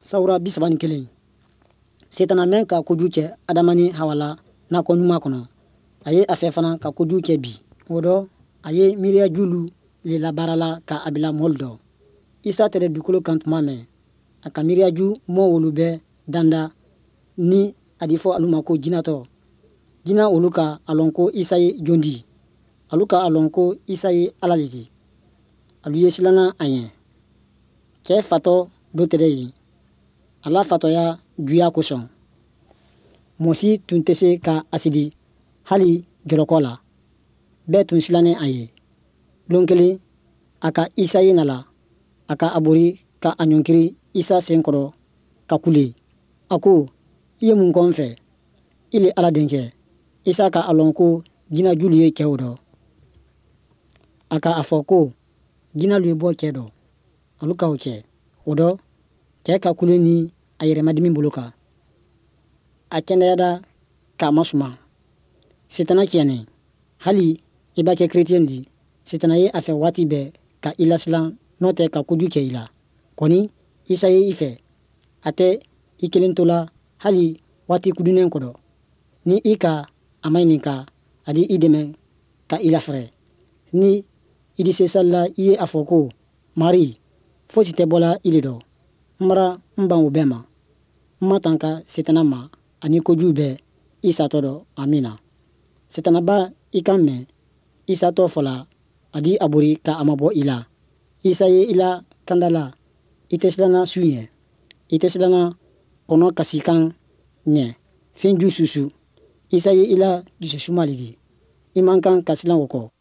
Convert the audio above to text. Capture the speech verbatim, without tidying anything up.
Sawura bi saba ni kelen. Setana mɛn ka kojugu kɛ Adama ni Hawa la nakɔ ɲuman kɔnɔ, a ye a fɛ fana ka kojugu kɛ bi. O dɔ, a ye miiriya julu le labaarala ka a bila mɔlu dɔ. Isa tɛrɛ dugukolo kan tuma mɛn, a ka miiriyaju mɔ olu bɛɛ danda ni a di fɔ alu ma ko jinatɔ. Jina olu ka a lɔn ko Isa ye jon di. Alu ka a lɔn ko Isa ye Ala le di. Alu ye silanna a ɲɛ. Cɛ fatɔ dɔ tɛrɛ yen. A la fatɔya juya kosɔn. Mɔɔ si tun tɛ se ka a sidi hali jɔlɔkɔ la. Bɛɛ tun silannen a ye. Lon kelen, a ka Isa ye nala. A ka a bori ka a ɲɔnkiri Isa sen kɔrɔ ka kule. A ko, i ye mun kɔ n fɛ? I le Ala denkɛ. Isa ka a lɔn ko jinɛ julu ye cɛw dɔ. A ka a fɔ ko jinɛlu ye bɔ cɛ dɔ. Alu ka o kɛ. O dɔ, cɛ ka kule ni a yɛrɛmadimi bolo kan. A kɛnɛyada k'a masuma. Setana tiɲɛnen. Hali i b'a kɛ kerecɛn di, setana ye a fɛ waati bɛɛ ka i lasilan n'o tɛ ka kojugu kɛ i la. Kɔni Isa ye i fɛ. A tɛ i kelen to la hali waati kudunnen kɔrɔ. Ni i ka a maɲininka, a di i dɛmɛ ka i lafɛrɛ. Ni i di se sali la, i ye a fɔ ko Mari, fosi tɛ bɔla i le dɔ. N bara n ban o bɛɛ ma. N ma tanka setana ma ani kojugu bɛɛ i satɔ dɔ. Amina. Setana ba i kan mɛn i satɔ fɔla, a di a bori ka a mabɔ i la. Isa ye i la kanda la, i tɛ silanna su ɲɛ. I tɛ silanna kɔnɔ kasikan ɲɛ. Fɛn ju susu. Isa ye i la dususuma le di. I man kan ka silan o kɔ.